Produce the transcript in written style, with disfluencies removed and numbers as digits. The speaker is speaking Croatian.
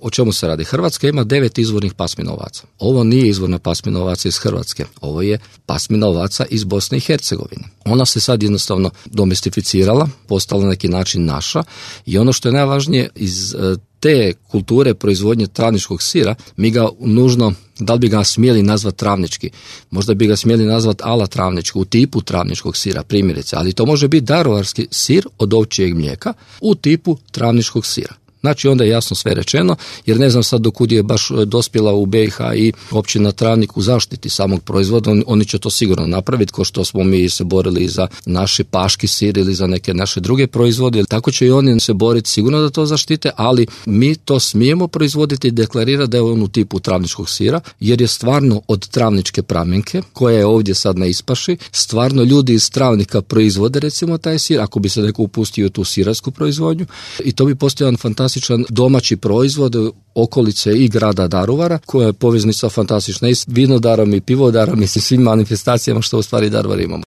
o čemu se radi? Hrvatska ima 9 izvornih pasmina ovaca. Ovo nije izvorna pasmina ovaca iz Hrvatske, ovo je pasmina ovaca iz Bosne i Hercegovine. Ona se sad jednostavno domestificirala, postala na neki način naša i ono što je najvažnije iz te kulture proizvodnje travničkog sira, mi ga nužno, da li bi ga smjeli nazvati travnički, možda bi ga smjeli nazvati ala travnički, u tipu travničkog sira, primjerice, ali to može biti daruvarski sir od ovčjeg mlijeka u tipu travničkog sira. Znači onda je jasno sve rečeno, jer ne znam sad dokud je baš dospjela u BiH i općina Travnik u zaštiti samog proizvoda, oni će to sigurno napraviti, kao što smo mi se borili za naši paški sir ili za neke naše druge proizvode, tako će i oni se boriti sigurno da to zaštite, ali mi to smijemo proizvoditi i deklarirati da je on u tipu travničkog sira, jer je stvarno od travničke pramenke, koja je ovdje sad na ispaši, stvarno ljudi iz Travnika proizvode recimo taj sir, ako bi se neko upustio u tu sirarsku proizvodnju, i to bi postao jedan fantastičan domaći proizvod okolice i grada Daruvara, koja je poveznica fantastična i s vinodarom i pivodarom i sa svim manifestacijama što u stvari Daruvar imamo.